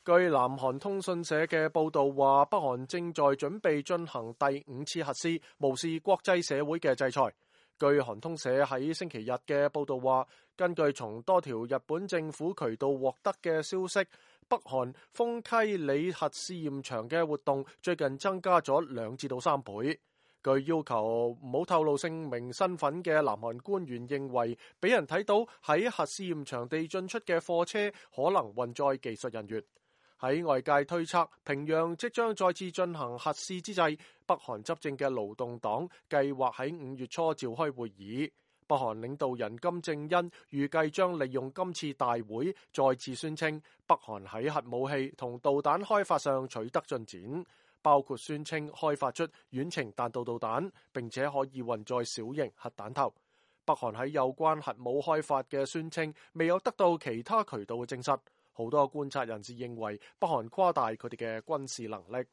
據南韓通訊社嘅報道話，北韓正在準備進行第5次核試，無視國際社會嘅制裁。據韓通社喺星期日嘅報道話，根據從多條日本政府渠道獲得嘅消息，北韓豐溪里核試驗場嘅活動最近增加咗2至3倍。據要求唔好透露姓名身份嘅南韓官員認為，俾人睇到喺核試驗場地進出嘅貨車可能運載技術人員。喺外界推測平壤即將再次進行核試之際，北韓執政嘅勞動黨計劃喺5月初召開會議。北韓領導人金正恩預計將利用今次大會再次宣稱北韓喺核武器同導彈開發上取得進展，包括宣稱開發出遠程彈道導彈，並且可以運載小型核彈頭。北韓喺有關核武開發嘅宣稱未有得到其他渠道嘅證實。好多觀察人士認為北韓誇大佢哋嘅軍事能力。